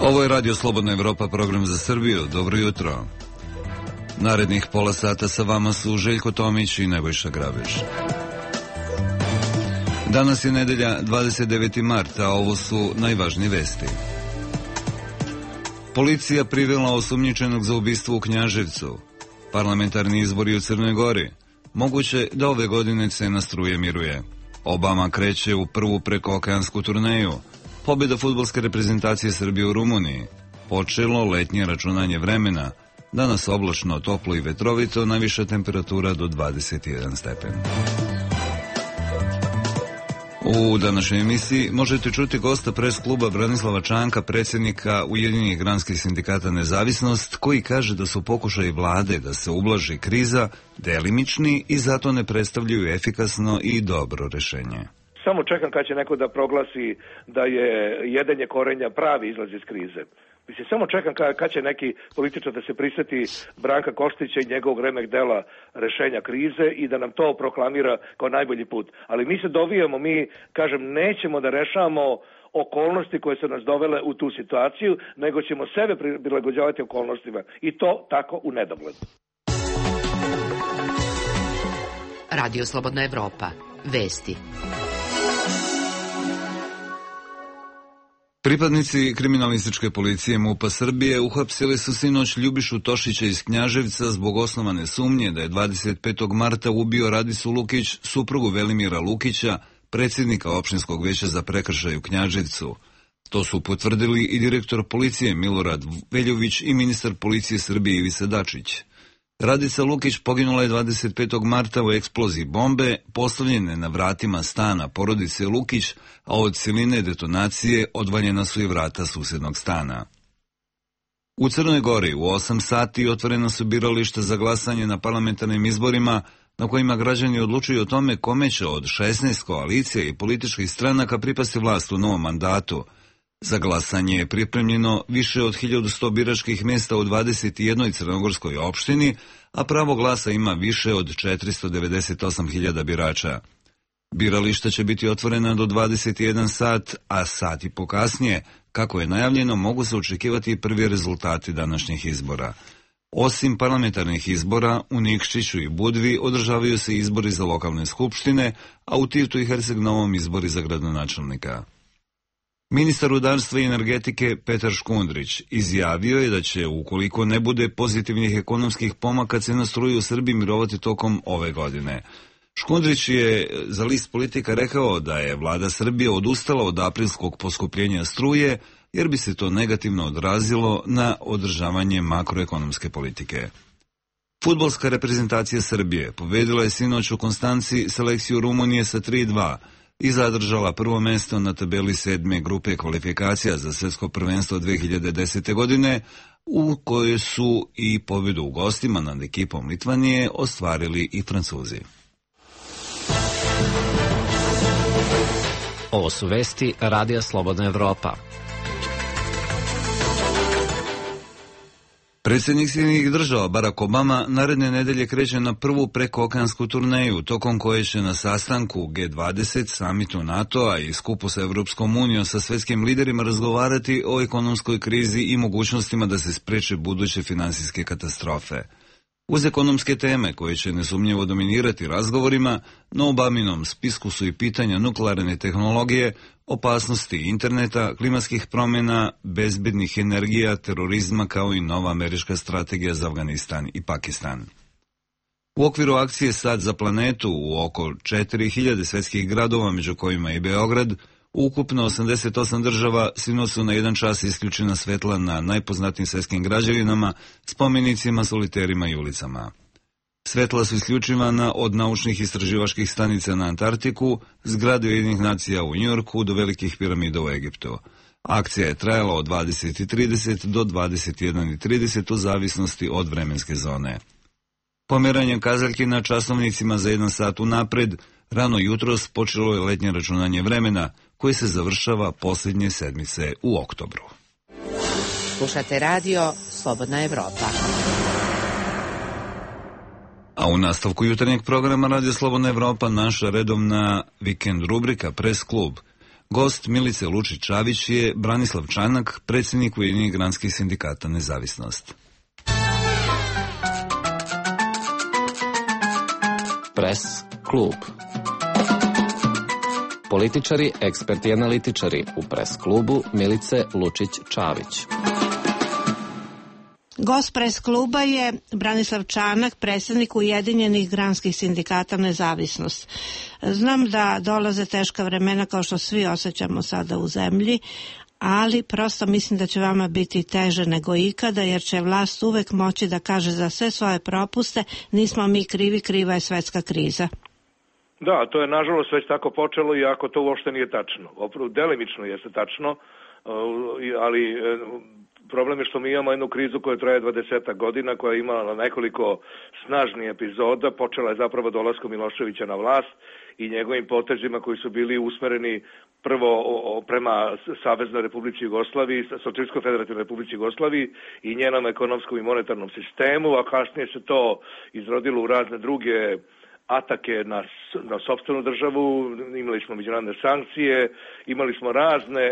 Ovo je Radio Slobodna Evropa, program za Srbiju. Dobro jutro. Narednih pola sata sa vama su Željko Tomić i Nebojša Grabež. Danas je nedelja 29. marta, a ovo su najvažnije vesti. Policija privela osumnjičenog za ubistvo u Knjaževcu. Parlamentarni izbori u Crnoj Gori. Moguće da ove godine cena struje miruje. Obama kreće u prvu prekookeansku turneju. Pobjeda fudbalske reprezentacije Srbije u Rumuniji. Počelo letnje računanje vremena. Danas oblačno, toplo i vetrovito, najviša temperatura do 21 stepen. U današnjoj emisiji možete čuti gosta pres kluba Branislava Čanka, predsjednika Ujedinjenih granskih sindikata Nezavisnost, koji kaže da su pokušaji vlade da se ublaži kriza delimični i zato ne predstavljaju efikasno i dobro rešenje. Samo čekam kad će neko da proglasi da je jedenje korenja pravi izlaz iz krize. Mislim, samo čekam kad će neki političar da se prisjeti Branka Koštića i njegovog remek dela rešenja krize i da nam to proklamira kao najbolji put. Ali mi se dovijamo, mi, kažem, nećemo da rešavamo okolnosti koje su nas dovele u tu situaciju, nego ćemo sebe prilagođavati okolnostima. I to tako u nedogled. Radio Slobodna Evropa. Vesti. Pripadnici kriminalističke policije MUP-a Srbije uhapsili su sinoć Ljubišu Tošića iz Knjaževca zbog osnovane sumnje da je 25. marta ubio Radicu Lukić, suprugu Velimira Lukića, predsjednika opštinskog veća za prekršaj u Knjaževcu. To su potvrdili i direktor policije Milorad Veljović i ministar policije Srbije Ivica Dačić. Radica Lukić poginula je 25. marta u eksploziji bombe postavljene na vratima stana porodice Lukić, a od siline detonacije odvaljena su i vrata susjednog stana. U Crnoj Gori u 8 sati otvorena su birališta za glasanje na parlamentarnim izborima na kojima građani odlučuju o tome kome će od 16 koalicija i političkih stranaka pripasti vlast u novom mandatu. Za glasanje je pripremljeno više od 1100 biračkih mjesta u 21 crnogorskoj opštini, a pravo glasa ima više od 498.000 birača. Birališta će biti otvorena do 21 sat, a sat i po kasnije, kako je najavljeno, mogu se očekivati i prvi rezultati današnjih izbora. Osim parlamentarnih izbora, u Nikšiću i Budvi održavaju se izbori za lokalne skupštine, a u Tivtu i Herceg Novom izbori za gradonačelnika. Ministar rudarstva i energetike Petar Škundrić izjavio je da će, ukoliko ne bude pozitivnih ekonomskih pomaka, cena struje u Srbiji mirovati tokom ove godine. Škundrić je za list Politika rekao da je vlada Srbije odustala od aprilskog poskupljenja struje, jer bi se to negativno odrazilo na održavanje makroekonomske politike. Fudbalska reprezentacija Srbije pobedila je sinoć u Konstanci selekciju Rumunije sa 3:2 i zadržala prvo mesto na tabeli 7. grupe kvalifikacija za svjetsko prvenstvo 2010. godine, u kojoj su i pobjedu u gostima nad ekipom Litvanije ostvarili i Francuzi. Ovo su vesti Radija Slobodna Evropa. Predsjednik Sjedinjenih Država Barack Obama naredne nedelje kreće na prvu prekookeansku turneju, tokom koje će na sastanku G20, samitu NATO-a i skupu sa Evropskom unijom sa svjetskim liderima razgovarati o ekonomskoj krizi i mogućnostima da se spreče buduće finansijske katastrofe. Uz ekonomske teme koje će nesumnjivo dominirati razgovorima, na Obaminom spisku su i pitanja nuklearne tehnologije, opasnosti interneta, klimatskih promjena, bezbednih energija, terorizma kao i nova američka strategija za Afganistan i Pakistan. U okviru akcije Sad za planetu u oko 4000 svjetskih gradova, među kojima i Beograd, ukupno 88 država sinoć su na jedan čas isključena svetla na najpoznatijim svjetskim građevinama, spomenicima, soliterima i ulicama. Svetla su isključivana od naučnih istraživačkih stanica na Antarktiku, zgrade Ujedinjenih nacija u Njujorku do velikih piramida u Egiptu. Akcija je trajala od 20:30 do 21:30 u zavisnosti od vremenske zone. Pomeranjem kazaljki na časovnicima za 1 sat unapred, rano jutros počelo je letnje računanje vremena, koje se završava posljednje sedmice u oktobru. Slušate radio Slobodna Evropa. A u nastavku jutarnjeg programa Radio Slobodna Evropa naša redovna vikend rubrika Pres klub. Gost Milice Lučić-Čavić je Branislav Čanak, predsjednik Ujedinjenih granskih sindikata Nezavisnost. Pres klub. Političari, eksperti i analitičari u Pres klubu Milice Lučić-Čavić. Gost Pres kluba je Branislav Čanak, predsjednik Ujedinjenih granskih sindikata Nezavisnost. Znam da dolaze teška vremena kao što svi osjećamo sada u zemlji, ali prosto mislim da će vama biti teže nego ikada, jer će vlast uvek moći da kaže za sve svoje propuste nismo mi krivi, kriva je svetska kriza. Da, to je nažalost već tako počelo, iako to uopšte nije tačno. Delimično jeste tačno, ali problem je što mi imamo jednu krizu koja traje 20 godina, koja je imala nekoliko snažnih epizoda. Počela je zapravo dolaskom Miloševića na vlast i njegovim potezima koji su bili usmereni prvo prema Saveznoj Republici Jugoslaviji, Socijalističkoj Federativnoj Republici Jugoslaviji i njenom ekonomskom i monetarnom sistemu, a kasnije se to izrodilo u razne druge atake na sopstvenu državu, imali smo međunarodne sankcije, imali smo razne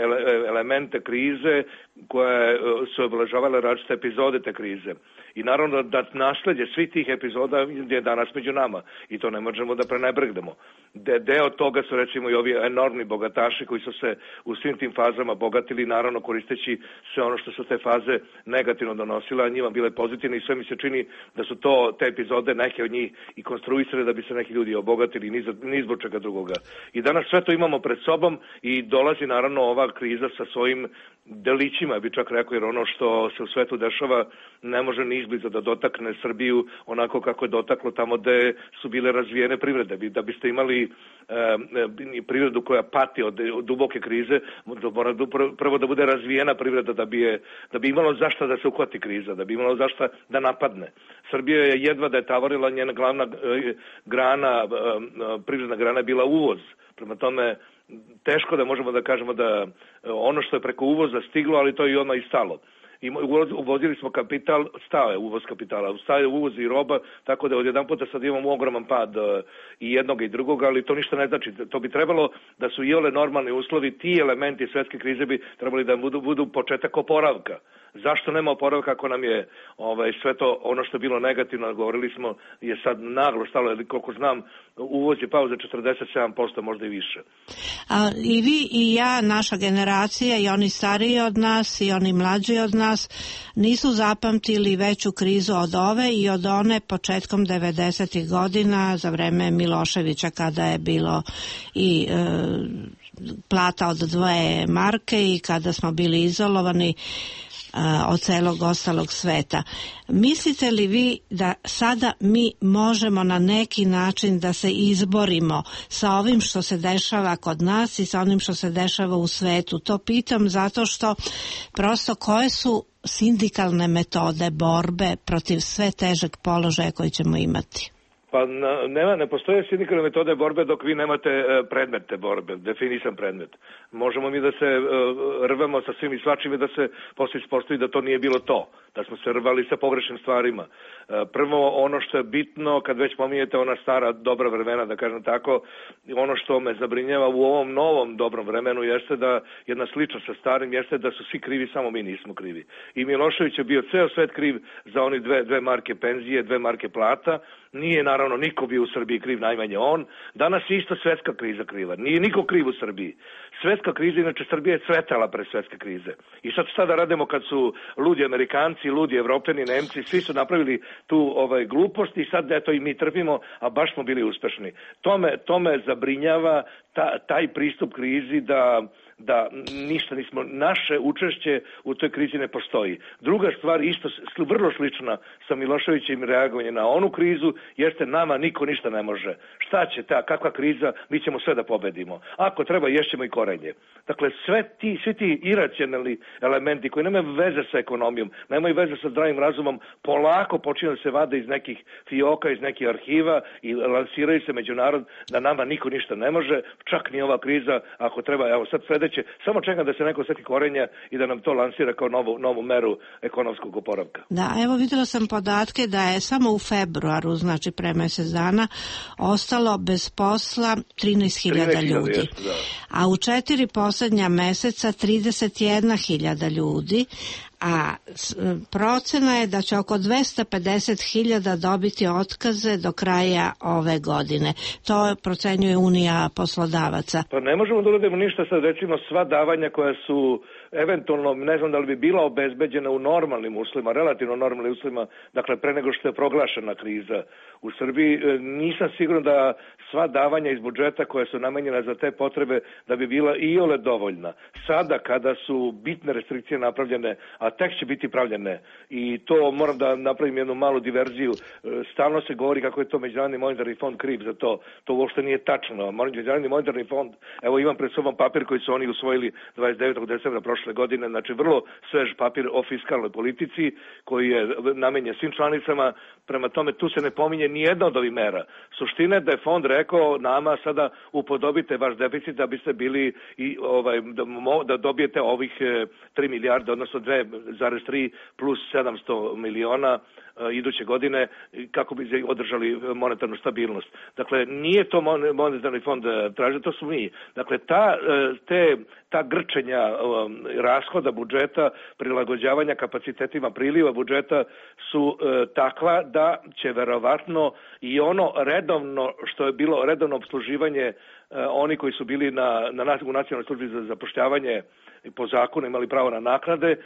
elemente krize koje su obeležavale različite epizode te krize. I naravno da nasledđe svih tih epizoda je danas među nama i to ne možemo da prenebregnemo. Deo toga su recimo i ovi enormni bogataši koji su se u svim tim fazama bogatili, naravno koristeći sve ono što su te faze negativno donosile, a njima bile pozitivne i sve mi se čini da su te epizode neke od njih i konstruisale da bi se neki ljudi obogatili ni zbog čega drugoga. I danas sve to imamo pred sobom i dolazi naravno ova kriza sa svojim delićima, bi čak rekao, jer ono što se u svetu dešava ne može ni izbliza da dotakne Srbiju onako kako je dotaklo tamo gde su bile razvijene privrede. Da biste imali privredu koja pati od duboke krize, mora prvo da bude razvijena privreda da bi imalo zašta da se uhvati kriza, da bi imalo zašta da napadne. Srbija je jedva da je tavorila, njena glavna grana, privredna grana je bila uvoz. Prema tome, teško da možemo da kažemo da ono što je preko uvoza stiglo, ali to je i odmah i stalo. Uvozili smo kapital, stao je uvoz kapitala, stao je uvoz i roba, tako da odjedan puta sad imamo ogroman pad i jednog i drugog, ali to ništa ne znači. To bi trebalo da su i ole normalni uslovi, ti elementi svetske krize bi trebali da budu početak oporavka. Zašto nema oporavka ako nam je sve to ono što je bilo negativno, govorili smo, je sad naglo stalo, jer koliko znam, uvoz je pao za 47%, možda i više. I vi i ja, naša generacija, i oni stariji od nas i oni mlađi od nas, nisu zapamtili veću krizu od ove i od one početkom 90. godina za vreme Miloševića, kada je bilo i plata od 2 marke i kada smo bili izolovani od celog ostalog sveta. Mislite li vi da sada mi možemo na neki način da se izborimo sa ovim što se dešava kod nas i sa onim što se dešava u svetu? To pitam zato što prosto koje su sindikalne metode borbe protiv sve težeg položaja koji ćemo imati? Pa ne postoje sindikalne metode borbe dok vi nemate predmet te borbe, definisan predmet. Možemo mi da se rvemo sa svim i svačim i da se posle ispostavi da to nije bilo to, da smo se rvali sa pogrešnim stvarima. Prvo, ono što je bitno, kad već pominjete ona stara dobra vremena, da kažem tako, ono što me zabrinjava u ovom novom dobrom vremenu jeste da jedna sličnost sa starim jeste da su svi krivi, samo mi nismo krivi. I Milošević je bio ceo svet kriv za oni dve marke penzije, 2 marke plata. Nije naravno niko bio u Srbiji kriv, najmanje on. Danas je isto svetska kriza kriva. Nije niko kriv u Srbiji. Svetska kriza, inače Srbija je cvetala pre svetske krize. I sad šta da radimo kad su ludi Amerikanci, ludi Evropljani, Nemci, svi su napravili tu glupost i sad eto i mi trpimo, a baš smo bili uspešni. To me zabrinjava taj pristup krizi da ništa nismo, naše učešće u toj krizi ne postoji. Druga stvar, isto vrlo slična sa Miloševićem reagovanje na onu krizu, jeste nama niko ništa ne može. Šta će kakva kriza, mi ćemo sve da pobedimo. Ako treba, ješćemo i korenje. Dakle, svi ti iracionalni elementi koji nemaju veze sa ekonomijom, nemaju veze sa zdravim razumom, polako počinju da se vade iz nekih fioka, iz nekih arhiva i lansiraju se među narod da nama niko ništa ne može, čak ni ova kriza, ako treba, evo sad sledeće, samo čekam da se neko seti korenja i da nam to lansira kao novu meru ekonomskog oporavka. Da, evo videla sam podatke da je samo u februaru, znači pre mesec dana, ostalo bez posla 13.000 ljudi. A u 4 posljednja meseca 31.000 ljudi, a procena je da će oko 250.000 dobiti otkaze do kraja ove godine. To procenjuje Unija poslodavaca. Pa ne možemo da uradimo ništa sad, recimo sva davanja koja su eventualno, ne znam da li bi bila obezbeđena u normalnim uslovima, relativno normalnim uslovima, dakle pre nego što je proglašena kriza u Srbiji, nisam siguran da sva davanja iz budžeta koja su namenjena za te potrebe da bi bila iole dovoljna. Sada kada su bitne restrikcije napravljene, a tek će biti pravljene, i to moram da napravim jednu malu diverziju, stalno se govori kako je to Međunarodni monetarni fond kriv za to. To uopšte nije tačno. Međunarodni monetarni fond, evo imam pred sobom papir koji su oni usvojili 29. decembra prošle godine, znači vrlo svež papir o fiskalnoj politici koji je namenjen svim članicama, prema tome tu se ne pominje ni jedna od ovih mera. Suština je da je fond rekao nama sada upodobite vaš deficit da biste bili i da dobijete ovih 3 milijarde, odnosno 2,3 plus 700 miliona iduće godine kako bi održali monetarnu stabilnost. Dakle, nije to monetarni fond traži, to su mi. Dakle, ta grčenja rashoda budžeta, prilagođavanja kapacitetima priliva budžeta su takva da će verovatno i ono redovno, što je bilo redovno obsluživanje, oni koji su bili u Nacionalnoj službi za zapošljavanje po zakonu imali pravo na naknade,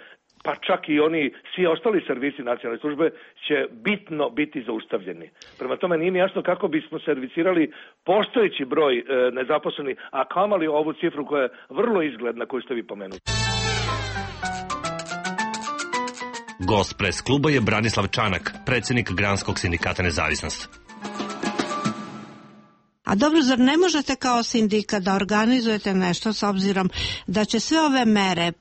pa čak i oni, svi ostali servisi nacionalne službe će bitno biti zaustavljeni. Prema tome nije mi jasno kako bismo servisirali postojeći broj nezaposlenih, a kamali ovu cifru koja je vrlo izgledna koju ste vi pomenuli. Gost pres kluba je Branislav Čanak, predsjednik Granskog sindikata Nezavisnost. A dobro, zar ne možete kao sindikat da organizujete nešto s obzirom da će sve ove mere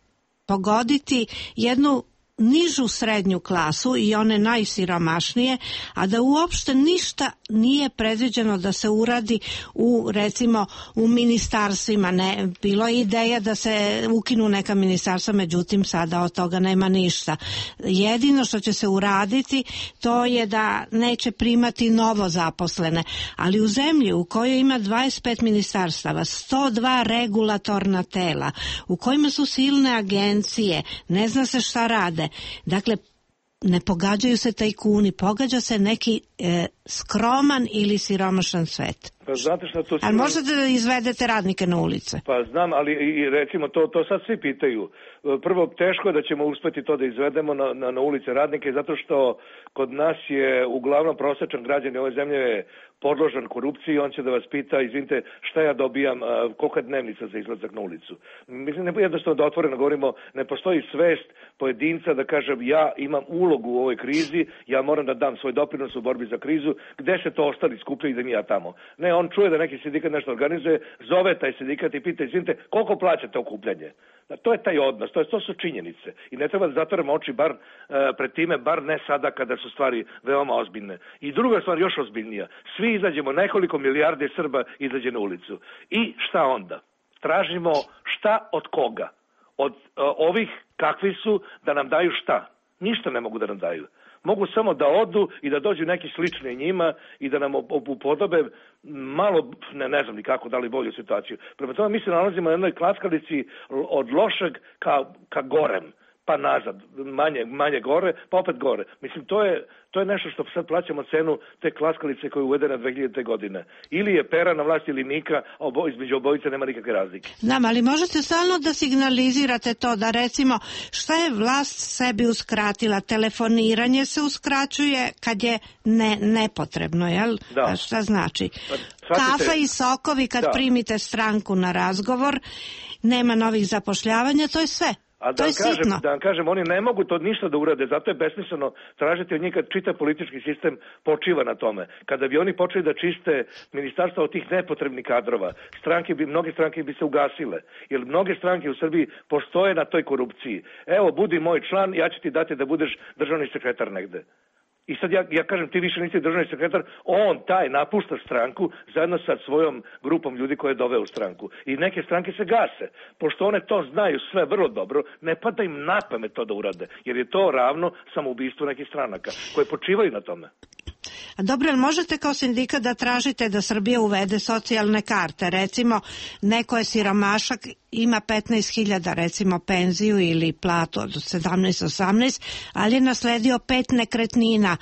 pogoditi jednu nižu srednju klasu i one najsiromašnije, a da uopšte ništa nije predviđeno da se uradi recimo u ministarstvima. Ne, bilo je ideja da se ukinu neka ministarstva, međutim sada od toga nema ništa. Jedino što će se uraditi to je da neće primati novo zaposlene, ali u zemlji u kojoj ima 25 ministarstava, 102 regulatorna tela, u kojima su silne agencije, ne zna se šta rade. Dakle, ne pogađaju se tajkuni, pogađa se neki skroman ili siromašan svet. Pa znate šta to... Ali možete da izvedete radnike na ulice? Pa znam, ali i recimo to sad svi pitaju. Prvo, teško je da ćemo uspeti to da izvedemo na ulice radnike, zato što kod nas je uglavnom prosječan građan ove zemlje podložan korupciji, on će da vas pita, izvinite, šta ja dobijam, kolika je dnevnica za izlazak na ulicu. Mislim, ne jednostavno da otvoreno govorimo, ne postoji svest pojedinca da kaže ja imam ulogu u ovoj krizi, ja moram da dam svoj doprinos u borbi za krizu, gde se to ostali skupljaju da mi ja tamo. Ne, on čuje da neki sindikat nešto organizuje, zove taj sindikat i pita, izvinite, koliko plaćate okupljanje? To je taj odnos, to su činjenice. I ne treba da zatvorimo oči bar pred time, bar ne sada kada su stvari veoma ozbiljne. I druga stvar još ozbiljnija, svi izađemo, nekoliko milijardi Srba izađe na ulicu. I šta onda? Tražimo šta od koga? Od ovih kakvi su da nam daju šta? Ništa ne mogu da nam daju. Mogu samo da odu i da dođu neki slični njima i da nam upodobe malo, ne znam ni kako, da li bolju situaciju. Prema tome mi se nalazimo na jednoj klackalici od lošeg ka gorem, pa nazad, manje gore, pa opet gore. Mislim, to je nešto što sad plaćamo cenu te klackalice koje je uvedena 2000. godine. Ili je Pera na vlasti ili Mika, a između obojice nema nikakve razlike. Znam, ali možete stalno da signalizirate to, da recimo šta je vlast sebi uskratila? Telefoniranje se uskraćuje kad je nepotrebno, jel? Da. Šta znači? Kafa i sokovi kad primite stranku na razgovor, nema novih zapošljavanja, to je sve. A da vam kažem, oni ne mogu to ništa da urade, zato je besmisleno tražiti od njih kad čitav politički sistem počiva na tome. Kada bi oni počeli da čiste ministarstva od tih nepotrebnih kadrova, mnoge stranke bi se ugasile, jer mnoge stranke u Srbiji postoje na toj korupciji. Evo, budi moj član, ja ću ti dati da budeš državni sekretar negde. I sad ja kažem, ti više nisi državni sekretar, on taj napušta stranku zajedno sa svojom grupom ljudi koje je doveo u stranku. I neke stranke se gase. Pošto one to znaju sve vrlo dobro, ne pada im na pamet to da urade, jer je to ravno samoubistvu nekih stranaka koje počivaju na tome. Dobro, ali možete kao sindikat da tražite da Srbija uvede socijalne karte? Recimo, neko je siromašak, ima 15.000 recimo penziju ili platu od 17-18, ali je nasledio 5 nekretnina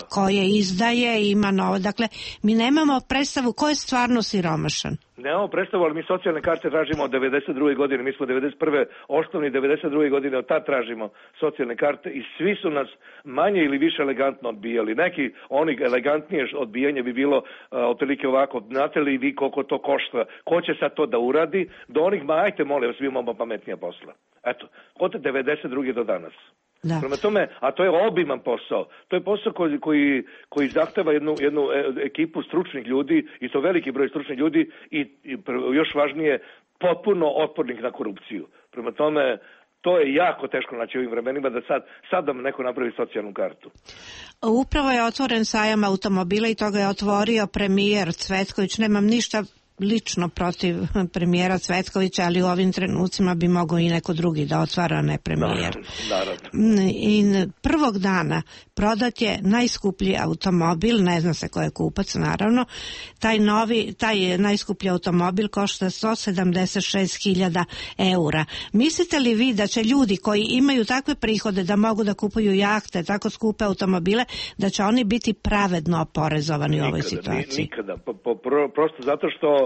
koje izdaje, ima novo. Dakle, mi nemamo predstavu ko je stvarno siromašan. Nemamo predstavu, ali mi socijalne karte tražimo od 92. godine. Mi smo 91. osnovni, 92. godine od tad tražimo socijalne karte i svi su nas manje ili više elegantno odbijali. Neki, oni elegantnije odbijanje bi bilo otprilike ovako, znate li vi koliko to košta, ko će sad to da uradi, do onih, ajte molim vas, mi imamo pametnija posla. Eto, od 92. do danas. Da. Prema tome, a to je obiman posao. To je posao koji zahteva jednu ekipu stručnih ljudi i to veliki broj stručnih ljudi i još važnije, potpuno otpornih na korupciju. Prema tome, to je jako teško naći u ovim vremenima da sad da neko napravi socijalnu kartu. Upravo je otvoren sajam automobila i to ga je otvorio premijer Cvetković. Nemam ništa lično protiv premijera Cvetkovića, ali u ovim trenucima bi mogao i neko drugi da otvara, ne premijer. I prvog dana prodat je najskuplji automobil, ne zna se ko je kupac naravno, taj najskuplji automobil košta 176.000 eura. Mislite li vi da će ljudi koji imaju takve prihode da mogu da kupuju jahte, tako skupe automobile, da će oni biti pravedno oporezovani u ovoj situaciji? Nikada, prosto zato što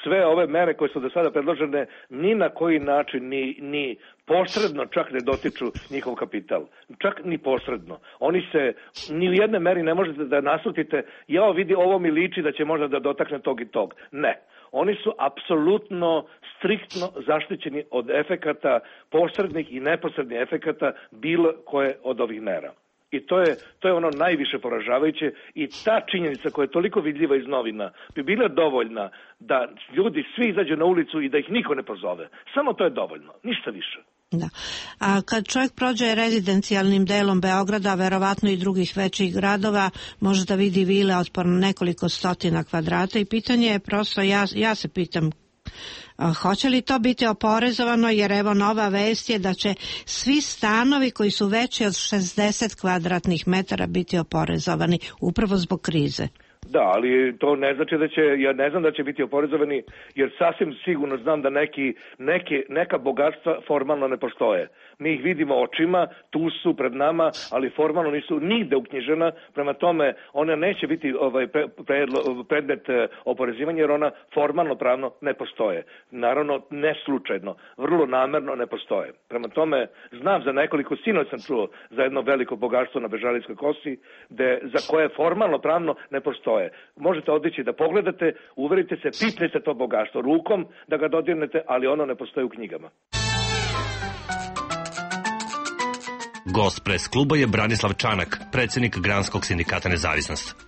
sve ove mere koje su do sada predložene ni na koji način ni posredno čak ne dotiču njihov kapital. Čak ni posredno. Oni se ni u jednoj meri ne možete da naslutite, vidi, ovo mi liči da će možda da dotakne tog i tog. Ne. Oni su apsolutno striktno zaštićeni od efekata, posrednih i neposrednih efekata bilo koje od ovih mera. I to je ono najviše poražavajuće i ta činjenica koja je toliko vidljiva iz novina bi bila dovoljna da ljudi svi izađu na ulicu i da ih niko ne pozove. Samo to je dovoljno, ništa više. Da. A kad čovjek prođe rezidencijalnim delom Beograda, verovatno i drugih većih gradova, može da vidi vile od nekoliko stotina kvadrata i pitanje je prosto, ja se pitam, hoće li to biti oporezovano, jer evo nova vest je da će svi stanovi koji su veći od 60 kvadratnih metara biti oporezovani upravo zbog krize. Da, ali to ne znači ja ne znam da će biti oporezovani, jer sasvim sigurno znam da neka bogatstva formalno ne postoje. Mi ih vidimo očima, tu su pred nama, ali formalno nisu nigde uknjižena, prema tome ona neće biti predmet oporezivanja, jer ona formalno pravno ne postoje. Naravno, ne slučajno, vrlo namerno ne postoje. Prema tome, znam za nekoliko, sinoć sam čuo za jedno veliko bogatstvo na Bežalijskoj kosi, za koje formalno pravno ne postoje. Možete otići da pogledate, uverite se, pipnite to bogatstvo rukom da ga dodirnete, ali ono ne postoji u knjigama. Gost pres kluba je Branislav Čanak, predsjednik Granskog sindikata Nezavisnost.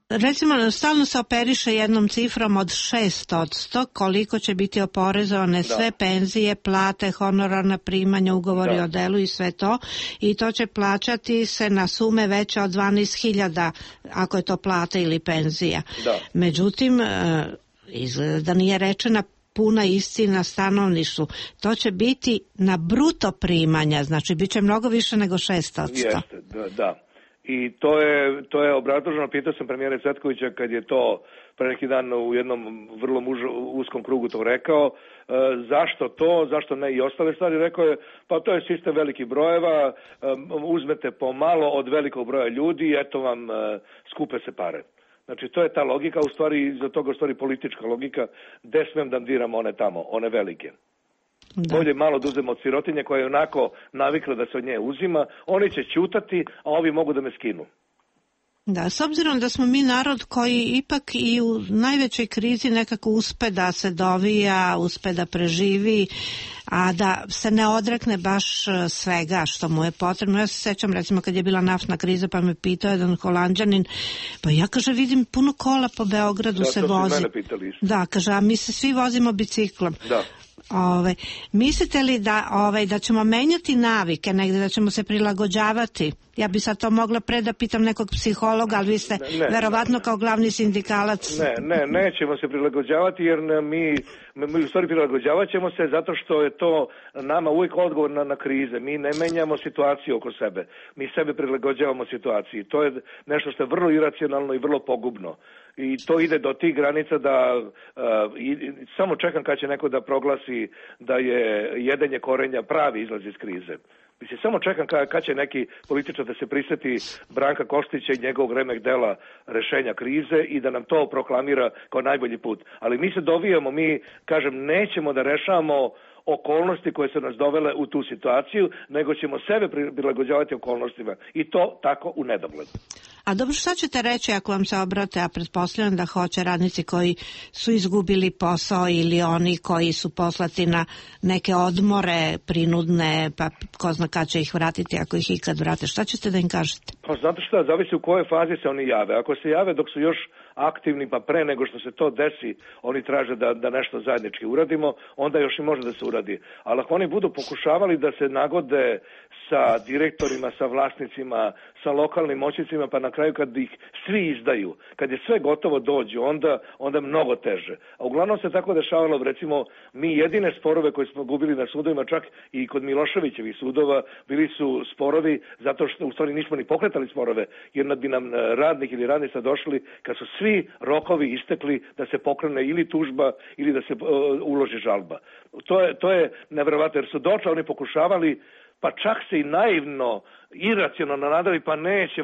Recimo, stalno se operiše jednom cifrom od 600, koliko će biti oporezovane sve penzije, plate, honorarna primanja, ugovori o delu i sve to, i to će plaćati se na sume veće od 12.000 ako je to plata ili penzija. Međutim, izgleda da nije rečena puna istina stanovništvu. To će biti na bruto primanja, znači bit će mnogo više nego 600. Jeste, da. I to je obrazloženo, pitao sam premijera Cvetkovića kad je to pre neki dan u jednom vrlo uskom krugu to rekao, zašto ne i ostale stvari, rekao je, pa to je sistem velikih brojeva, uzmete pomalo od velikog broja ljudi i eto vam skupe se pare. Znači, to je ta logika, u stvari, iza toga u stvari politička logika, gde smem da diram one tamo, one velike. Bolje malo da uzem od sirotinje koja je onako navikla da se od nje uzima, oni će ćutati, a ovi mogu da me skinu. Da, s obzirom da smo mi narod koji ipak i u najvećoj krizi nekako uspe da se dovija, uspe da preživi, a da se ne odrekne baš svega što mu je potrebno. Ja se sećam, recimo, kad je bila naftna kriza, pa me pitao jedan Holanđanin, pa ja, kaže, vidim puno kola po Beogradu se vozi. Da, kaže, a mi se svi vozimo biciklom. Da. Mislite li da ćemo menjati navike negde, da ćemo se prilagođavati Ja bi sad to mogla pre da pitam nekog psihologa, ali vi ste verovatno kao glavni sindikalac. Nećemo se prilagođavati jer mi u stvari prilagođavat ćemo se zato što je to nama uvijek odgovor na krize. Mi ne menjamo situaciju oko sebe. Mi sebe prilagođavamo situaciji. To je nešto što je vrlo iracionalno i vrlo pogubno. I to ide do tih granica da samo čekam kad će neko da proglasi da je jedenje korenja pravi izlaz iz krize. Mislim, samo čekam kad će neki političar da se prisjeti Branka Kostića i njegovog remek dela rešenja krize i da nam to proklamira kao najbolji put. Ali mi se dovijamo, kažem, nećemo da rešavamo okolnosti koje su nas dovele u tu situaciju, nego ćemo sebe prilagođavati okolnostima. I to tako u nedogled. A dobro, šta ćete reći ako vam se obrate, a pretpostavljam da hoće radnici koji su izgubili posao ili oni koji su poslati na neke odmore prinudne, pa ko zna kad će ih vratiti, ako ih ikad vrate. Šta ćete da im kažete? Pa znate šta, zavisi u kojoj fazi se oni jave. Ako se jave dok su još aktivni, pa pre nego što se to desi, oni traže da nešto zajednički uradimo, onda još i može da se uradi. Ali ako oni budu pokušavali da se nagode sa direktorima, sa vlasnicima, sa lokalnim moćnicima, pa na kraju kad ih svi izdaju, kad je sve gotovo dođu, onda mnogo teže. A uglavnom se tako dešavalo, recimo, mi jedine sporove koje smo gubili na sudovima, čak i kod Miloševićevih sudova, bili su sporovi zato što u stvari nismo ni pokretali sporove, jer bi nam radnik ili radnica došli kad su svi rokovi istekli da se pokrene ili tužba ili da se uloži žalba. To je nevjerovatno, jer su došli, oni pokušavali, pa čak se i naivno, iracionalno nadali, pa neće,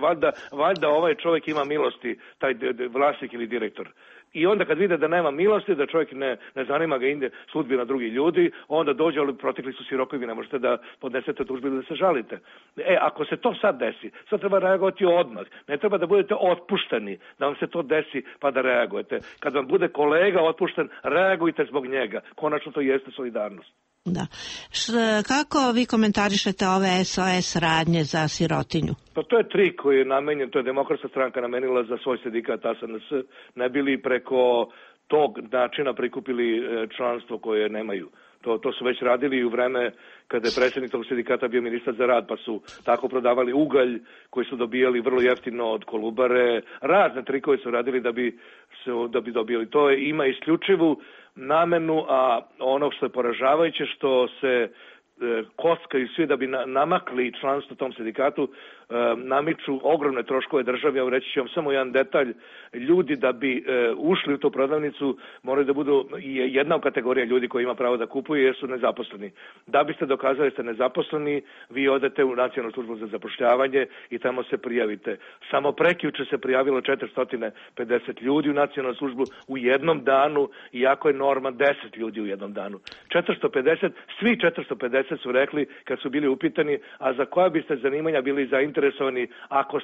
valjda ovaj čovjek ima milosti, taj vlasnik ili direktor. I onda kad vide da nema milosti, da čovjek ne zanima ga ide sudbina drugih ljudi, onda dođe, ali protekli su si rokovi, ne možete da podnesete tužbu ili da se žalite. Ako se to sad desi, sad treba reagovati odmah. Ne treba da budete otpušteni, da vam se to desi pa da reagujete. Kad vam bude kolega otpušten, reagujte zbog njega. Konačno to jeste solidarnost. Da. Kako vi komentarišete ove SOS radnje za sirotinju? Pa to je trik koji je namenjen, to je Demokratska stranka namenila za svoj sindikat SNS, ne bili preko tog načina prikupili članstvo koje nemaju. To su već radili i u vreme kada je predsjednik tog sindikata bio ministar za rad, pa su tako prodavali ugalj koji su dobijali vrlo jeftino od Kolubare. Razne trikove su radili da bi dobili. To ima isključivu namenu, a ono što je poražavajuće što se kockaju svi da bi namakli članstvo tom sindikatu, namiču ogromne troškove državi. Ja reći ću vam samo jedan detalj. Ljudi da bi ušli u tu prodavnicu moraju da budu jedna kategorija ljudi koji ima pravo da kupuju jer su nezaposleni. Da biste dokazali da ste nezaposleni, vi odete u Nacionalnu službu za zapošljavanje i tamo se prijavite. Samo prekjuče se prijavilo 450 ljudi u Nacionalnu službu u jednom danu, iako je norma 10 ljudi u jednom danu. 450, svi 450 su rekli kad su bili upitani, a za koja biste zanimanja bili zainteresovani ako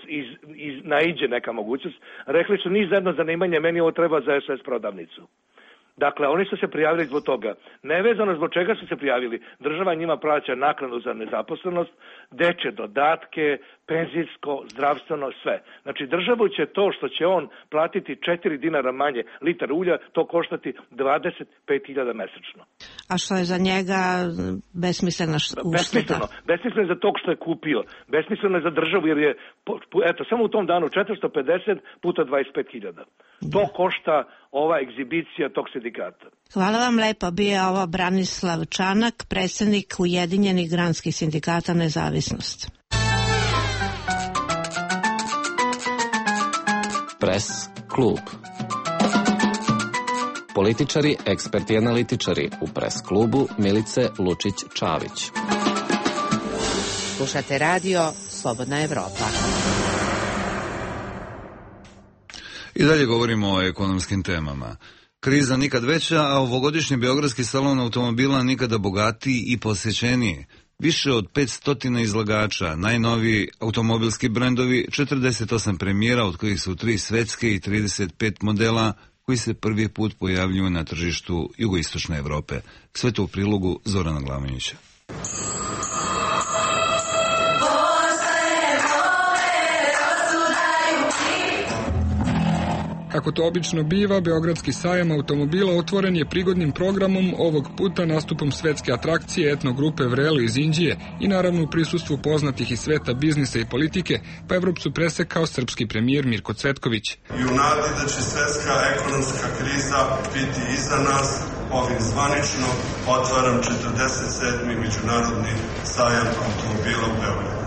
naiđe neka mogućnost, rekli su ni za jedno zanimanje, meni ovo treba za SOS prodavnicu. Dakle, oni su se prijavili zbog toga. Nevezano zbog čega su se prijavili. Država njima plaća naknadu za nezaposlenost, dečje dodatke, penzijsko, zdravstveno, sve. Znači, državu će to što će on platiti 4 dinara manje litar ulja, to koštati 25.000 mesečno. A što je za njega besmislena ušteda? Besmisleno je za tog što je kupio. Besmisleno je za državu jer je, samo u tom danu 450 puta 25.000. To košta ova egzibicija tog sindikata. Hvala vam lepo. Bio je ovo Branislav Čanak, predsjednik Ujedinjenih granskih sindikata Nezavisnost. Pres klub. Političari, eksperti i analitičari u Pres klubu Milice Lučić-Čavić. Slušate radio Slobodna Evropa. I dalje govorimo o ekonomskim temama. Kriza nikad veća, a ovogodišnji beogradski salon automobila nikada bogatiji i posjećeniji. Više od 500 izlagača, najnoviji automobilski brendovi, 48 premijera, od kojih su 3 svetske i 35 modela koji se prvi put pojavljuju na tržištu jugoistočne Evrope. Sve to u prilogu Zorana Glavinića. Kako to obično biva, Beogradski sajam automobila otvoren je prigodnim programom, ovog puta nastupom svetske atrakcije etnogrupe Vrelo iz Indije i naravno u prisustvu poznatih iz sveta biznisa i politike, pa Evropu su presekao srpski premijer Mirko Cvetković. I u nadi da će svetska ekonomska kriza biti iza nas, ovim zvanično otvaram 47. međunarodni sajam automobila u Beogradu.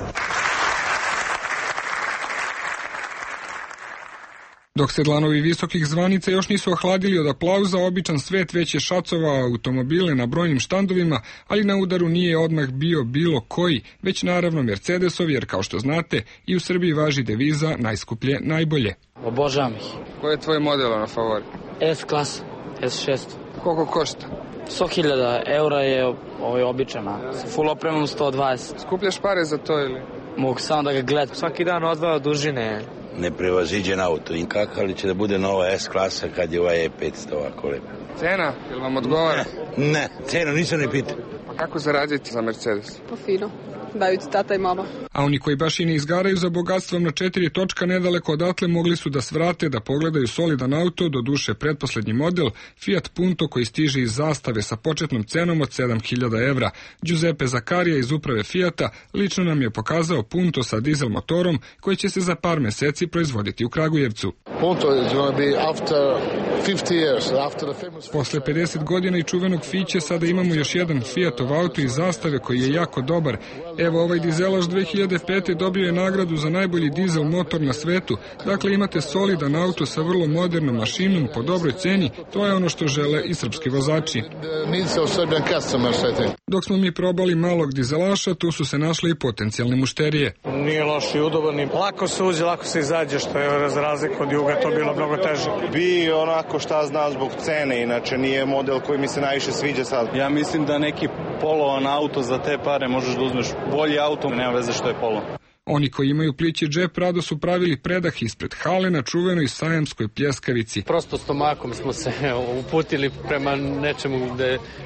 Dok sedlanovi visokih zvanica još nisu ohladili od aplauza, običan svet već je šacovao automobile na brojnim štandovima, ali na udaru nije odmah bio bilo koji, već naravno Mercedesov, jer kao što znate, i u Srbiji važi deviza najskuplje najbolje. Obožavam ih. Koji je tvoj model na favori? S klasa, S6. Koliko košta? 100.000 eura je običana, sa full opremom 120. Skupljaš pare za to ili? Mogu samo da ga gledam. Svaki dan odvao dužine. Neprevaziđen auto. I kako li će da bude nova S-klasa kad je ovaj E500 ovako lepo? Cena? Ili vam odgovara? Ne, cenu nisam ne pitao. Pa kako zaradite za Mercedes? Pa fino. Daju ti tata i mama. A oni koji baš i ne izgaraju za bogatstvom na 4 točka nedaleko odatle mogli su da svrate, da pogledaju solidan auto, do duše pretposlednji model, Fiat Punto koji stiže iz Zastave sa početnom cenom od 7.000 evra. Giuseppe Zaccaria iz uprave Fiata lično nam je pokazao Punto sa dizel motorom koji će se za par meseci proizvoditi u Kragujevcu. Posle 50 godina i čuvenog Fiće sada imamo još jedan Fiatov auto iz Zastave koji je jako dobar. Evo, ovaj dizelaš 2005. dobio je nagradu za najbolji dizel motor na svetu. Dakle, imate solidan auto sa vrlo modernom mašinom po dobroj ceni. To je ono što žele i srpski vozači. Dok smo mi probali malog dizelaša, tu su se našle i potencijalne mušterije. Nije loš i udoban, lako se uđe, lako se izađe, što je za razliku od Juga to bilo mnogo teže. Bi onako šta znam zbog cene, inače nije model koji mi se najviše sviđa sad. Ja mislim da neki polovan auto za te pare možeš da uzmeš bolji auto, nema veze što je polo. Oni koji imaju plići džep rado su pravili predah ispred hale na čuvenoj sajamskoj pljeskavici. Prosto stomakom smo se uputili prema nečemu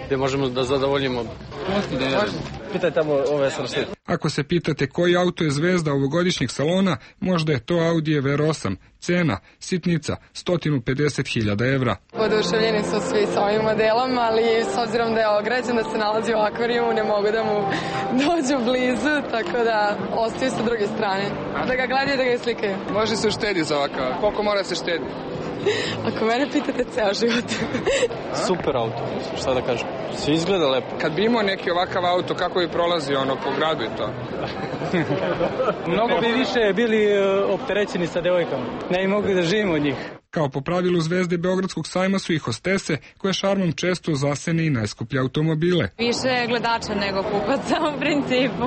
gde možemo da zadovoljimo. Pitaj tamo ove srste. Ako se pitate koji auto je zvezda ovogodišnjeg salona, možda je to Audi R8. Cena, sitnica, 150.000 evra. Oduševljeni su svi s ovim modelom, ali s obzirom da je ograđen, da se nalazi u akvarijumu, ne mogu da mu dođu blizu, tako da ostaju sa druge strane. Da ga gledaju, da ga slikaju. Može se uštedi za ovakav. Koliko mora se štedi? Ako mene pitate, ceo život. Super auto, šta da kažem. Sve izgleda lepo. Kad bi imao neki ovakav auto, kako bi prolazio po gradu i to? Mnogo bi više bili opterećeni sa devojkama. Ne bi mogli da živimo od njih. Kao po pravilu zvezde Beogradskog sajma su i hostese, koje šarmom često zasene i najskuplje automobile. Više gledača nego kupaca u principu.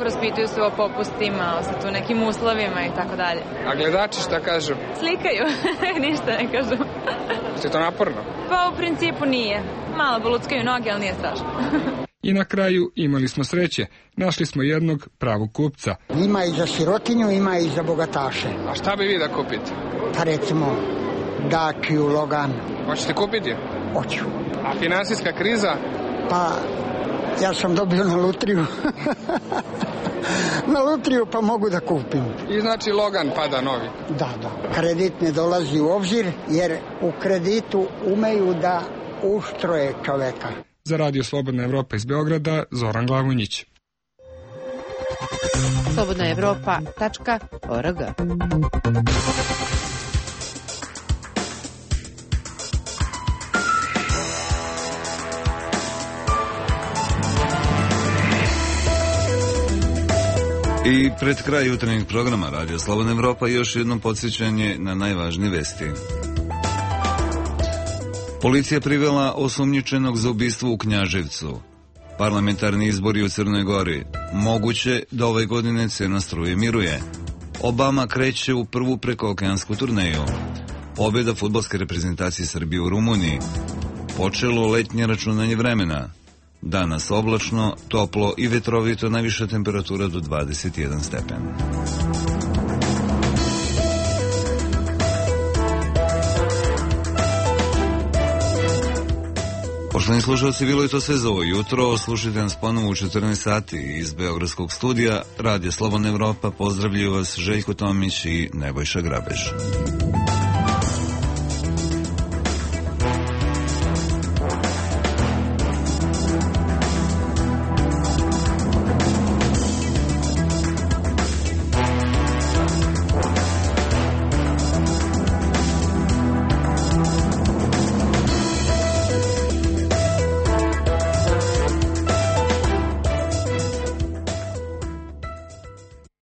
Raspituju se o popustima, o tu nekim uslovima i tako dalje. A gledači šta kažu? Slikaju, ništa ne kažu. Je to naporno? Pa u principu nije. Malo boluckaju noge, ali nije strašno. I na kraju imali smo sreće. Našli smo jednog pravog kupca. Ima i za sirotinju, ima i za bogataše. A šta bi vi da kupite? Pa recimo Dakiju, Logan. Hoćete kupiti? Hoću. A finansijska kriza? Pa ja sam dobio na lutriju. Na lutriju pa mogu da kupim. I znači Logan pada novi? Da. Kredit ne dolazi u obzir jer u kreditu umeju da uštroje čoveka. Za Radio Slobodna Evropa iz Beograda, Zoran Glavonjić. slobodnaevropa.org. I pred kraj jutarnjeg programa Radio Slobodna Evropa još jedno podsjećanje na najvažnije vesti. Policija privela osumnjičenog za ubistvo u Knjaževcu. Parlamentarni izbori u Crnoj Gori. Moguće da ove godine cena struje miruje. Obama kreće u prvu prekookeansku turneju. Pobjeda fudbalske reprezentacije Srbije u Rumuniji. Počelo letnje računanje vremena. Danas oblačno, toplo i vetrovito, najviša temperatura do 21 stepen. Poštovani slušalci, bilo je to sve za ovo jutro. Slušajte nas ponovo u 14 sati iz Beogradskog studija. Radio Slobodna Evropa, pozdravljaju vas Željko Tomić i Nebojša Grabež.